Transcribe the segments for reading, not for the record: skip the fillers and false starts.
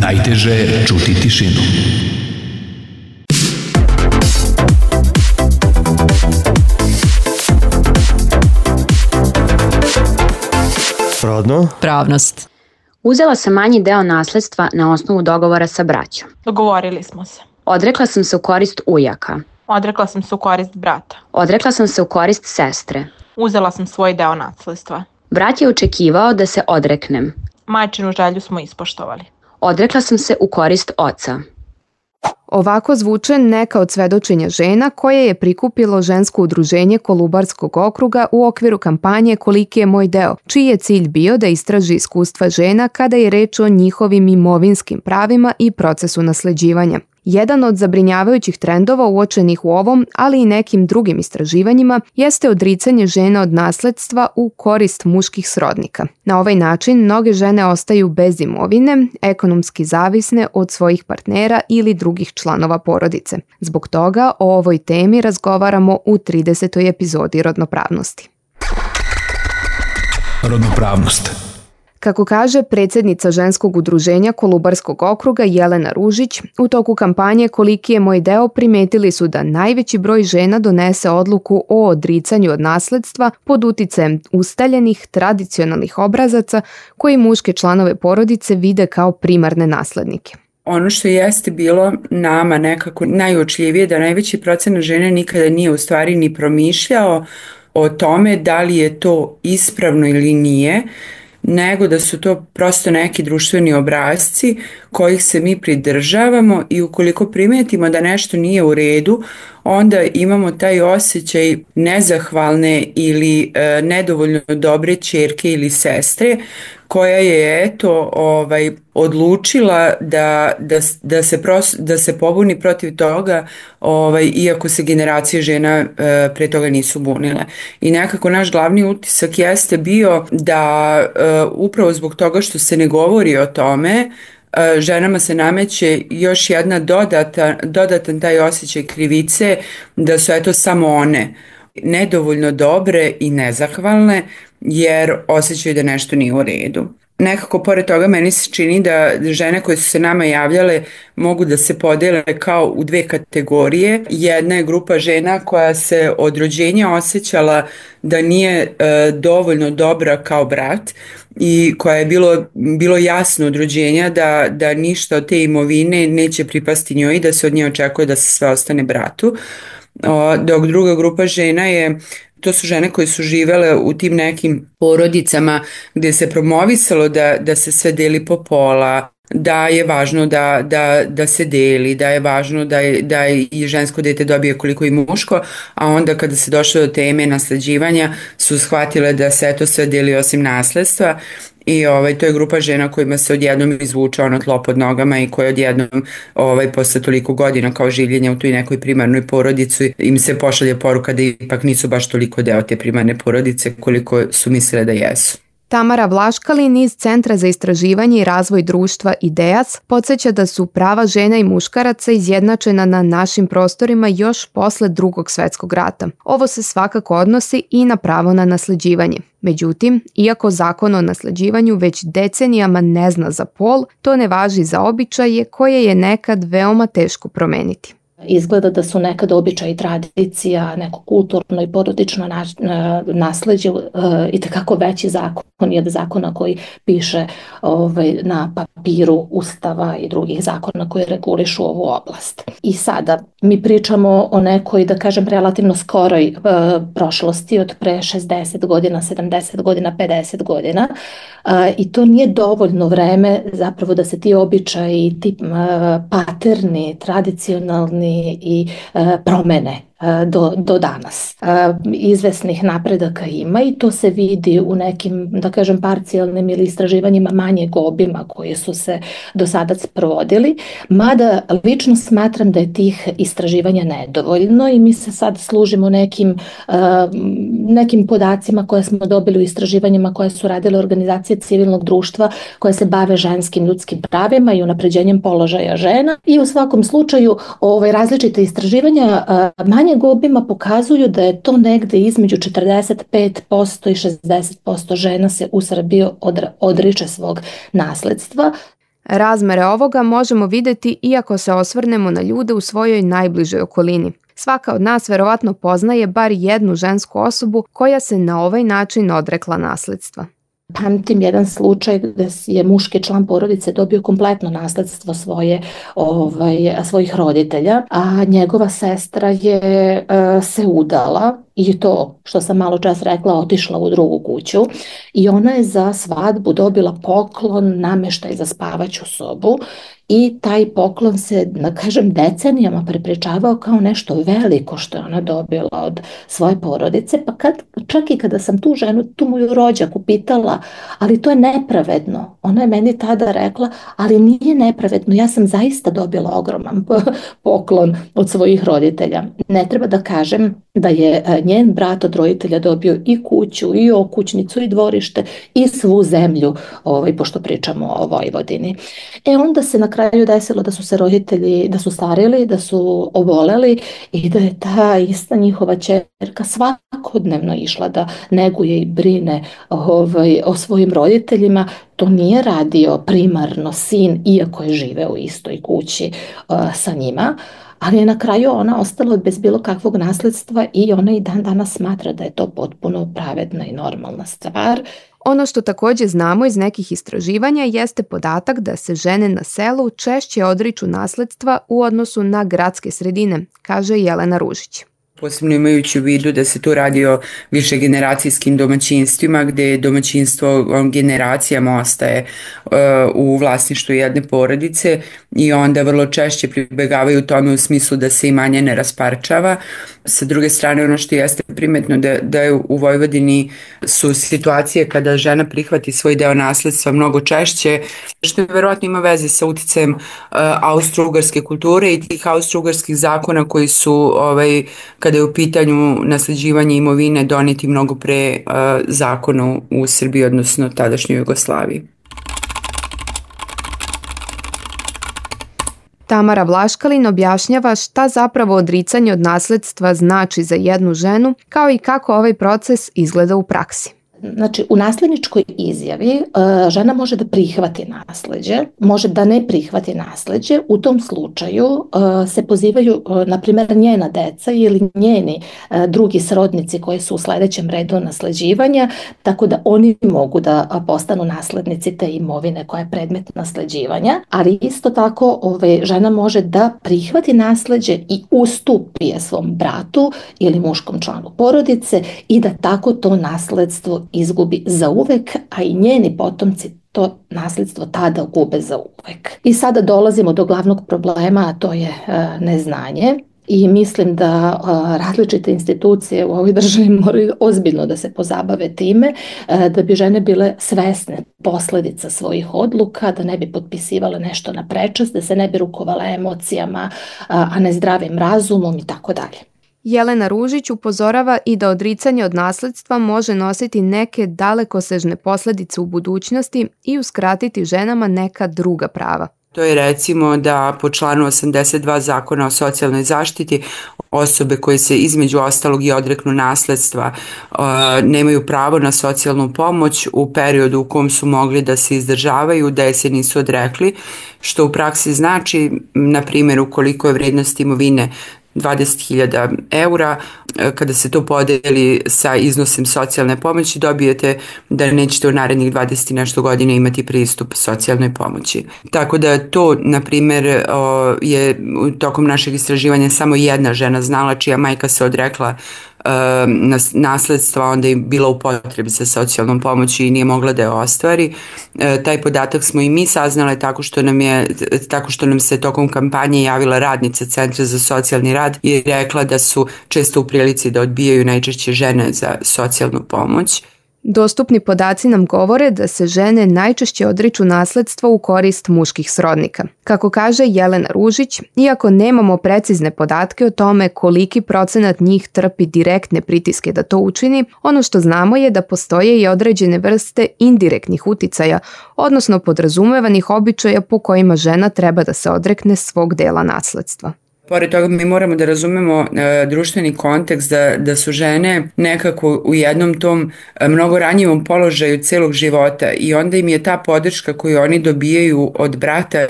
Najteže je čuti tišinu. Rodno? Pravnost. Uzela sam manji deo nasledstva na osnovu dogovora sa braćom. Dogovorili smo se. Odrekla sam se u korist ujaka. Odrekla sam se u korist brata. Odrekla sam se u korist sestre. Uzela sam svoj deo nasledstva. Brat je očekivao da se odreknem. Majčinu želju smo ispoštovali. Odrekla sam se u korist oca. Ovako zvuče neka od svedočenja žena koje je prikupilo žensko udruženje Kolubarskog okruga u okviru kampanje Koliki je moj deo, čiji je cilj bio da istraži iskustva žena kada je reč o njihovim imovinskim pravima i procesu nasleđivanja. Jedan od zabrinjavajućih trendova uočenih u ovom, ali i nekim drugim istraživanjima, jeste odricanje žena od nasledstva u korist muških srodnika. Na ovaj način mnoge žene ostaju bez imovine, ekonomski zavisne od svojih partnera ili drugih članova porodice. Zbog toga o ovoj temi razgovaramo u 30. epizodi Rodnopravnosti. Rodnopravnost. Kako kaže predsjednica ženskog udruženja Kolubarskog okruga Jelena Ružić, u toku kampanje Koliki je moj deo primetili su da najveći broj žena donese odluku o odricanju od nasledstva pod uticajem ustaljenih tradicionalnih obrazaca koji muške članove porodice vide kao primarne naslednike. Ono što jeste bilo nama nekako najuočljivije da najveći procenat žene nikada nije u stvari ni promišljao o tome da li je to ispravno ili nije, nego da su to prosto neki društveni obrasci kojih se mi pridržavamo i ukoliko primetimo da nešto nije u redu, onda imamo taj osjećaj nezahvalne ili nedovoljno dobre ćerke ili sestre koja je odlučila da se pobuni protiv toga, iako se generacije žena pre toga nisu bunile. I nekako naš glavni utisak jeste bio da upravo zbog toga što se ne govori o tome, ženama se nameće još jedna dodatan taj osjećaj krivice da su samo one nedovoljno dobre i nezahvalne jer osjećaju da nešto nije u redu. Nekako pored toga meni se čini da žene koje su se nama javljale mogu da se podele kao u dve kategorije. Jedna je grupa žena koja se od rođenja osjećala da nije dovoljno dobra kao brat i koja je bilo jasno od rođenja da ništa od te imovine neće pripasti njoj i da se od nje očekuje da se sve ostane bratu. Dok druga grupa žena to su žene koje su živele u tim nekim porodicama gdje se promovisalo da se sve deli po pola, da je važno da se deli, da je važno da i žensko dete dobije koliko i muško, a onda kada se došlo do teme nasleđivanja su shvatile da se to sve deli osim nasledstva. I to je grupa žena kojima se odjednom izvuče tlo pod nogama i koje odjednom posle toliko godina kao življenja u toj nekoj primarnoj porodici im se pošalje poruka da ipak nisu baš toliko deo te primarne porodice koliko su mislile da jesu. Tamara Vlaškalin iz Centra za istraživanje i razvoj društva IDEAS podsjeća da su prava žena i muškaraca izjednačena na našim prostorima još posle Drugog svjetskog rata. Ovo se svakako odnosi i na pravo na nasleđivanje. Međutim, iako zakon o nasleđivanju već decenijama ne zna za pol, to ne važi za običaje koje je nekad veoma teško promeniti. Izgleda da su nekad običaj i tradicija, neko kulturno i porodično nasleđe i tekako veći zakon od zakona koji piše na papiru Ustava i drugih zakona koji regulišu ovu oblast. I sada mi pričamo o nekoj, da kažem, relativno skoroj prošlosti od pre 60 godina, 70 godina, 50 godina i to nije dovoljno vreme zapravo da se ti običaji, ti paterni, tradicionalni i promene do danas. Izvesnih napredaka ima i to se vidi u nekim, da kažem, parcijalnim ili istraživanjima manjeg obima koji su se do sada sprovodili, mada lično smatram da je tih istraživanja nedovoljno i mi se sad služimo nekim podacima koje smo dobili u istraživanjima koje su radile organizacije civilnog društva koje se bave ženskim ljudskim pravima i unapređenjem položaja žena i u svakom slučaju različite istraživanja manjeg obima pokazuju da je to negde između 45% i 60% žena se u Srbiji odriče svog nasledstva. Razmere ovoga možemo vidjeti iako se osvrnemo na ljude u svojoj najbližoj okolini. Svaka od nas verovatno poznaje bar jednu žensku osobu koja se na ovaj način odrekla nasledstva. Pamtim jedan slučaj gdje je muški član porodice dobio kompletno nasledstvo svojih roditelja, a njegova sestra je se udala i to, što sam malo čas rekla, otišla u drugu kuću i ona je za svadbu dobila poklon, namještaj za spavaću sobu i taj poklon se, da kažem, decenijama prepričavao kao nešto veliko što je ona dobila od svoje porodice, pa čak i kada sam tu ženu, tu moju rođaku pitala, ali to je nepravedno. Ona je meni tada rekla, ali nije nepravedno, ja sam zaista dobila ogroman poklon od svojih roditelja. Ne treba da kažem da je njen brat od roditelja dobio i kuću, i okućnicu, i dvorište, i svu zemlju, pošto pričamo o Vojvodini. Onda se na kraju desilo da su se roditelji, da su starili, da su oboleli i da je ta ista njihova ćerka svakodnevno išla da neguje i brine o svojim roditeljima. To nije radio primarno sin, iako je živeo u istoj kući sa njima, ali je na kraju ona ostala bez bilo kakvog nasledstva i ona i dan danas smatra da je to potpuno pravedna i normalna stvar. Ono što također znamo iz nekih istraživanja jeste podatak da se žene na selu češće odriču nasledstva u odnosu na gradske sredine, kaže Jelena Ružić. Posebno imajući u vidu da se tu radi o višegeneracijskim domaćinstvima gdje domaćinstvo generacijama ostaje u vlasništvu jedne porodice i onda vrlo češće pribegavaju tome u smislu da se imanje ne rasparčava. Sa druge strane, ono što jeste primetno da je u Vojvodini su situacije kada žena prihvati svoj deo nasledstva mnogo češće, što verovatno ima veze sa uticajem austro-ugarske kulture i tih austro-ugarskih zakona koji su kada je u pitanju nasleđivanje imovine doneti mnogo pre zakona u Srbiji, odnosno tadašnjoj Jugoslaviji. Tamara Vlaškalin objašnjava šta zapravo odricanje od nasledstva znači za jednu ženu, kao i kako ovaj proces izgleda u praksi. Znači, u nasljedničkoj izjavi žena može da prihvati nasleđe, može da ne prihvati nasleđe. U tom slučaju se pozivaju, na primjer, njena deca ili njeni drugi srodnici koji su u sljedećem redu nasleđivanja, tako da oni mogu da postanu naslednici te imovine koja je predmet nasleđivanja. Ali isto tako žena može da prihvati nasleđe i ustupi je svom bratu ili muškom članu porodice i da tako to nasledstvo izgubi zauvek, a i njeni potomci to nasljedstvo tada gube zauvek. I sada dolazimo do glavnog problema, a to je neznanje. I mislim da različite institucije u ovoj državi moraju ozbiljno da se pozabave time, da bi žene bile svesne posljedica svojih odluka, da ne bi potpisivale nešto na prečac, da se ne bi rukovale emocijama, a ne zdravim razumom i tako dalje. Jelena Ružić upozorava i da odricanje od nasledstva može nositi neke dalekosežne posljedice u budućnosti i uskratiti ženama neka druga prava. To je recimo da po članu 82 Zakona o socijalnoj zaštiti osobe koje se između ostalog i odreknu nasledstva nemaju pravo na socijalnu pomoć u periodu u kom su mogli da se izdržavaju, da je se nisu odrekli, što u praksi znači, na primjer, ukoliko je vrednost imovine 20.000 eura, kada se to podeli sa iznosom socijalne pomoći, dobijete da nećete u narednih 20 i nešto godina imati pristup socijalnoj pomoći. Tako da to, na primjer, je tokom našeg istraživanja samo jedna žena znala čija majka se odrekla nasledstva, onda je bila u potrebi za socijalnom pomoći i nije mogla da je ostvari. Taj podatak smo i mi saznale tako što nam se tokom kampanje javila radnica Centra za socijalni rad i rekla da su često u prilici da odbijaju najčešće žene za socijalnu pomoć. Dostupni podaci nam govore da se žene najčešće odriču nasledstva u korist muških srodnika. Kako kaže Jelena Ružić, iako nemamo precizne podatke o tome koliki procenat njih trpi direktne pritiske da to učini, ono što znamo je da postoje i određene vrste indirektnih uticaja, odnosno podrazumevanih običaja po kojima žena treba da se odrekne svog dela nasledstva. Pored toga mi moramo da razumemo društveni kontekst da su žene nekako u jednom tom mnogo ranjivom položaju celog života i onda im je ta podrška koju oni dobijaju od brata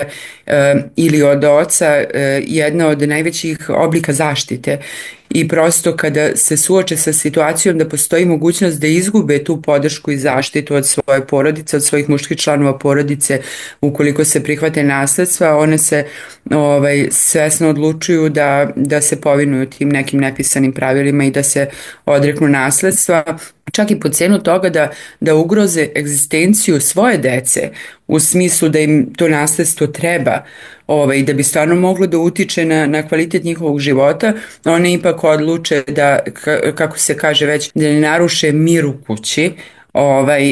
ili od oca jedna od najvećih oblika zaštite. I prosto kada se suoče sa situacijom da postoji mogućnost da izgube tu podršku i zaštitu od svoje porodice, od svojih muških članova porodice, ukoliko se prihvate nasledstva, one se svesno odlučuju da se povinuju tim nekim nepisanim pravilima i da se odreknu nasledstva, čak i po cenu toga da ugroze egzistenciju svoje dece, u smislu da im to nasledstvo treba, da bi stvarno moglo da utiče na kvalitet njihovog života, one ipak odluče da, kako se kaže već, da ne naruše mir u kući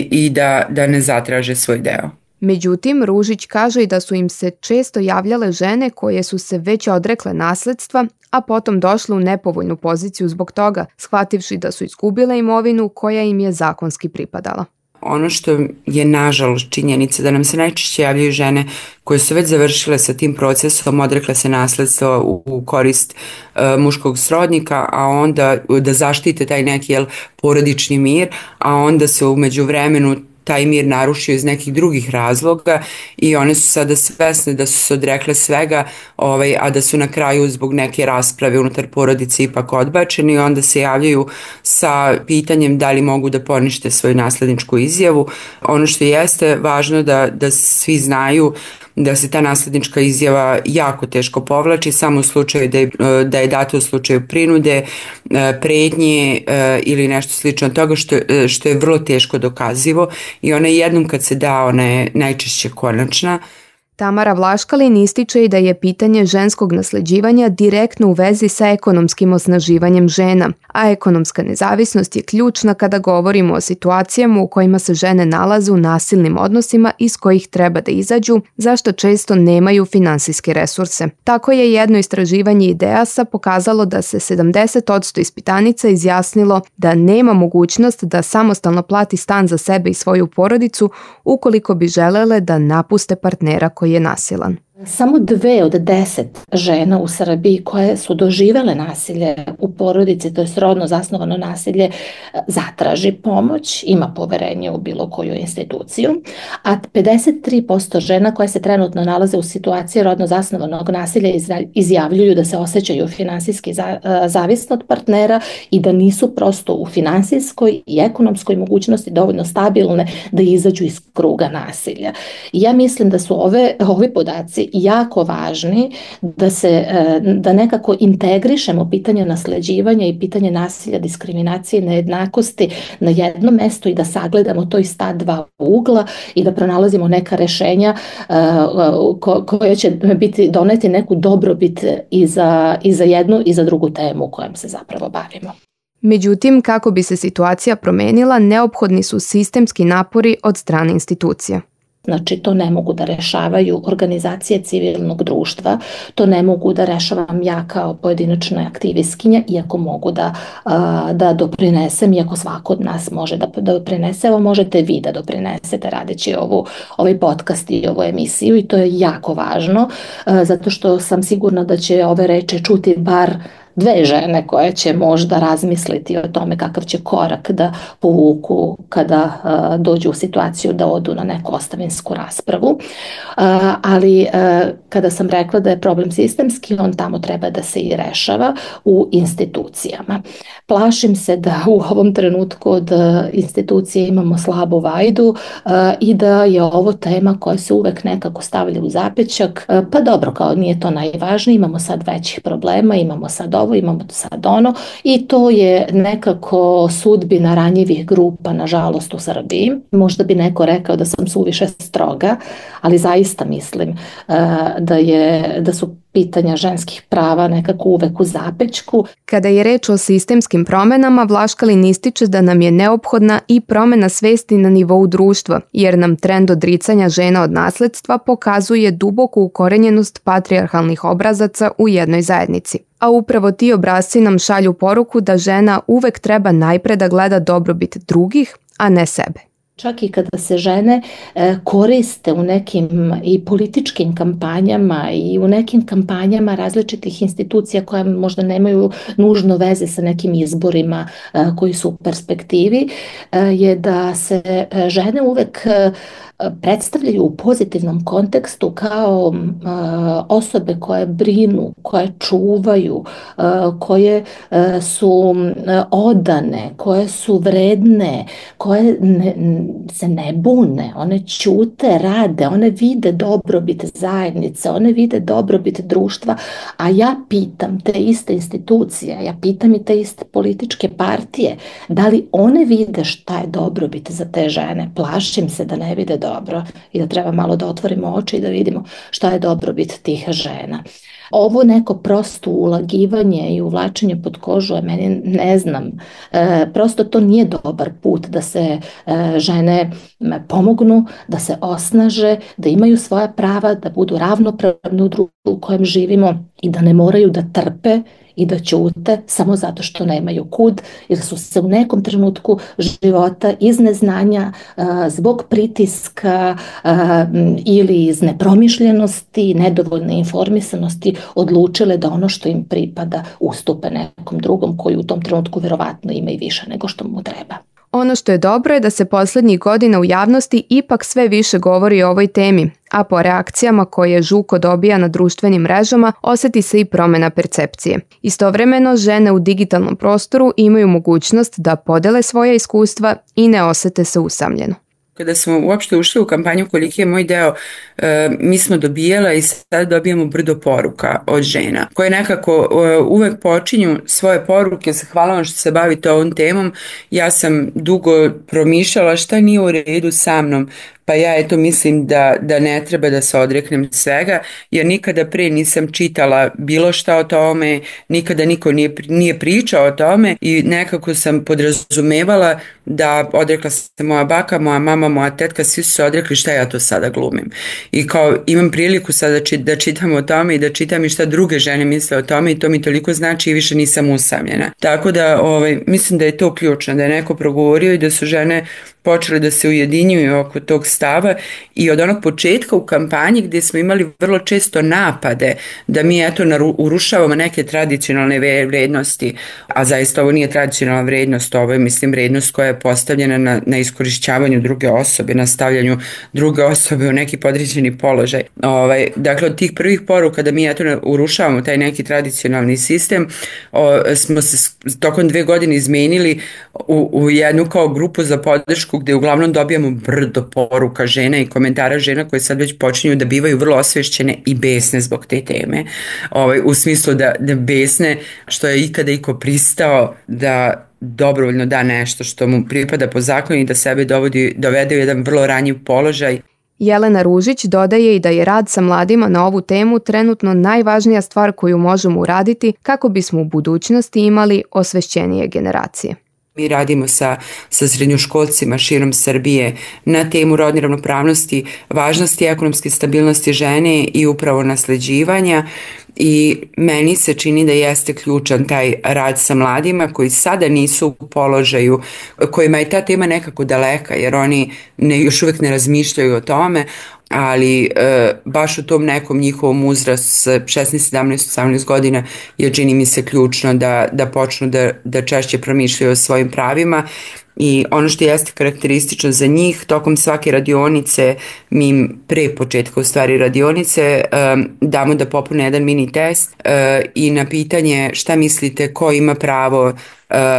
i da ne zatraže svoj deo. Međutim, Ružić kaže i da su im se često javljale žene koje su se već odrekle nasledstva, a potom došle u nepovoljnu poziciju zbog toga, shvativši da su izgubile imovinu koja im je zakonski pripadala. Ono što je nažalost činjenica da nam se najčešće javljaju žene koje su već završile sa tim procesom, odrekle se nasledstva u korist muškog srodnika, a onda da zaštite taj neki porodični mir, a onda se u međuvremenu taj mir narušio iz nekih drugih razloga i one su sada svesne da su se odrekle svega, a da su na kraju zbog neke rasprave unutar porodice ipak odbačeni i onda se javljaju sa pitanjem da li mogu da ponište svoju nasledničku izjavu. Ono što jeste važno da svi znaju da se ta naslednička izjava jako teško povlači samo u slučaju da je data u slučaju prinude, pretnje ili nešto slično od toga što je vrlo teško dokazivo i ona jednom kad se da, ona je najčešće konačna. Tamara Vlaškalin ističe i da je pitanje ženskog nasleđivanja direktno u vezi sa ekonomskim osnaživanjem žena, a ekonomska nezavisnost je ključna kada govorimo o situacijama u kojima se žene nalaze u nasilnim odnosima iz kojih treba da izađu, zašto često nemaju finansijske resurse. Tako je jedno istraživanje IDEAS-a pokazalo da se 70% ispitanica izjasnilo da nema mogućnost da samostalno plati stan za sebe i svoju porodicu ukoliko bi želele da napuste partnera koji je nasilan. Samo 2 od 10 žena u Srbiji koje su doživele nasilje u porodici, to je rodno zasnovano nasilje, zatraži pomoć, ima poverenje u bilo koju instituciju, a 53% žena koje se trenutno nalaze u situaciji rodno zasnovanog nasilja izjavljuju da se osjećaju finansijski zavisno od partnera i da nisu prosto u finansijskoj i ekonomskoj mogućnosti dovoljno stabilne da izađu iz kruga nasilja. I ja mislim da su ovi podaci jako važni da nekako integrišemo pitanje nasleđivanja i pitanje nasilja, diskriminacije i nejednakosti na jedno mesto i da sagledamo to iz ta dva ugla i da pronalazimo neka rešenja koja će doneti neku dobrobit i za jednu i za drugu temu kojom se zapravo bavimo. Međutim, kako bi se situacija promenila, neophodni su sistemski napori od strane institucija. Znači, to ne mogu da rešavaju organizacije civilnog društva, to ne mogu da rešavam ja kao pojedinačna aktivistkinja, iako mogu da doprinesem, iako svako od nas može da doprinese, evo možete vi da doprinesete radeći ovaj podcast i ovu emisiju i to je jako važno, zato što sam sigurna da će ove reči čuti bar 2 žene koje će možda razmisliti o tome kakav će korak da povuku kada dođu u situaciju da odu na neku ostavinsku raspravu. Ali kada sam rekla da je problem sistemski, on tamo treba da se i rešava u institucijama. Plašim se da u ovom trenutku od institucije imamo slabu vajdu i da je ovo tema koja se uvek nekako stavlja u zapećak. Pa dobro, kao nije to najvažnije, imamo sad većih problema, imamo sad ovo, imamo sad ono i to je nekako sudbina ranjivih grupa, nažalost, u Srbiji. Možda bi neko rekao da sam suviše stroga, ali zaista mislim da su pitanja ženskih prava nekako uvek u zapećku. Kada je reč o sistemskim promenama, Vlaškalin ističe da nam je neophodna i promena svesti na nivou društva, jer nam trend odricanja žena od nasledstva pokazuje duboku ukorenjenost patrijarhalnih obrazaca u jednoj zajednici. A upravo ti obrasci nam šalju poruku da žena uvek treba najpre da gleda dobrobit drugih, a ne sebe. čak i kada se žene koriste u nekim i političkim kampanjama i u nekim kampanjama različitih institucija koje možda nemaju nužno veze sa nekim izborima koji su u perspektivi, je da se žene uvek predstavljaju u pozitivnom kontekstu kao osobe koje brinu, koje čuvaju, koje su odane, koje su vredne, koje se ne bune, one ćute, rade, one vide dobrobit zajednice, one vide dobrobit društva, a ja pitam te iste institucije, ja pitam i te iste političke partije, da li one vide šta je dobrobit za te žene? Plašim se da ne vide dobro i da treba malo da otvorimo oči i da vidimo šta je dobrobit tih žena. Ovo neko prosto ulagivanje i uvlačenje pod kožu je meni, ne znam, prosto to nije dobar put da se žene pomognu, da se osnaže, da imaju svoja prava, da budu ravnopravne u društvu u kojem živimo i da ne moraju da trpe i da ćute samo zato što nemaju kud, jer su se u nekom trenutku života iz neznanja, zbog pritiska ili iz nepromišljenosti, nedovoljne informisanosti odlučile da ono što im pripada ustupe nekom drugom koji u tom trenutku verovatno ima i više nego što mu treba. Ono što je dobro je da se poslednjih godina u javnosti ipak sve više govori o ovoj temi, a po reakcijama koje Žuko dobija na društvenim mrežama oseti se i promena percepcije. Istovremeno, žene u digitalnom prostoru imaju mogućnost da podele svoja iskustva i ne osete se usamljeno. Kada smo uopšte ušli u kampanju Koliki je moj deo, mi smo dobijala i sad dobijamo brdo poruka od žena koje nekako uvek počinju svoje poruke. Hvala vam što se bavite ovom temom. Ja sam dugo promišljala šta nije u redu sa mnom, pa ja eto mislim da ne treba da se odreknem svega, jer nikada pre nisam čitala bilo šta o tome, nikada niko nije pričao o tome i nekako sam podrazumevala da odrekla se moja baka, moja mama, moja tetka, svi su se odrekli, šta ja to sada glumim. I kao imam priliku sada da čitam o tome i da čitam i šta druge žene misle o tome i to mi toliko znači i više nisam usamljena. Tako da mislim da je to ključno, da je neko progovorio i da su žene počeli da se ujedinjuju oko tog stava i od onog početka u kampanji gdje smo imali vrlo često napade da mi eto urušavamo neke tradicionalne vrednosti, a zaista ovo nije tradicionalna vrednost, ovo je mislim vrednost koja je postavljena na iskorišćavanju druge osobe, na stavljanju druge osobe u neki podređeni položaj. Dakle, od tih prvih poruka da mi eto urušavamo taj neki tradicionalni sistem, smo se tokom 2 godine izmenili u jednu kao grupu za podršku gdje uglavnom dobijamo brdo poruka žena i komentara žena koje sad već počinju da bivaju vrlo osvešćene i besne zbog te teme. U smislu da besne što je ikada iko pristao da dobrovoljno da nešto što mu pripada po zakonu i da sebe dovede u jedan vrlo ranjiv položaj. Jelena Ružić dodaje i da je rad sa mladima na ovu temu trenutno najvažnija stvar koju možemo uraditi kako bismo u budućnosti imali osvešćenije generacije. Mi radimo sa srednjoškolcima širom Srbije na temu rodne ravnopravnosti, važnosti ekonomske stabilnosti žene i upravo nasleđivanja i meni se čini da jeste ključan taj rad sa mladima koji sada nisu u položaju, kojima je ta tema nekako daleka jer oni još uvijek ne razmišljaju o tome, ali baš u tom nekom njihovom uzrastu 16, 17, 18 godina je čini mi se ključno da počnu da češće promišljaju o svojim pravima. I ono što jeste karakteristično za njih, tokom svake radionice, mi im pre početka u stvari radionice damo da popune jedan mini test i na pitanje šta mislite ko ima pravo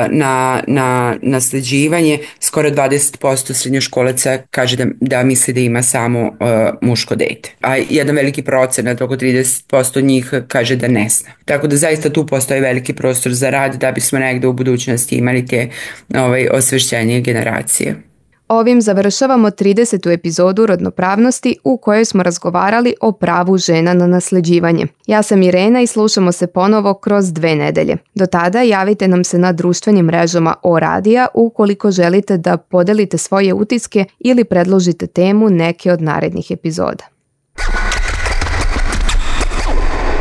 na nasleđivanje, skoro 20% srednjoškolaca kaže da misli da ima samo muško dete. A jedan veliki procenat, oko 30% njih kaže da ne zna. Tako da zaista tu postoji veliki prostor za rad da bismo negde u budućnosti imali te osvešćenje generacije. Ovim završavamo 30. epizodu Rodnopravnosti u kojoj smo razgovarali o pravu žena na nasleđivanje. Ja sam Irena i slušamo se ponovo kroz 2 nedelje. Do tada javite nam se na društvenim mrežama O-Radija ukoliko želite da podelite svoje utiske ili predložite temu neke od narednih epizoda.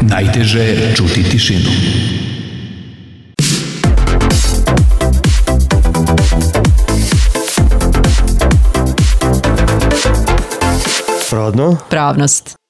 Najteže je čuti tišinu. Rodno. Pravnost.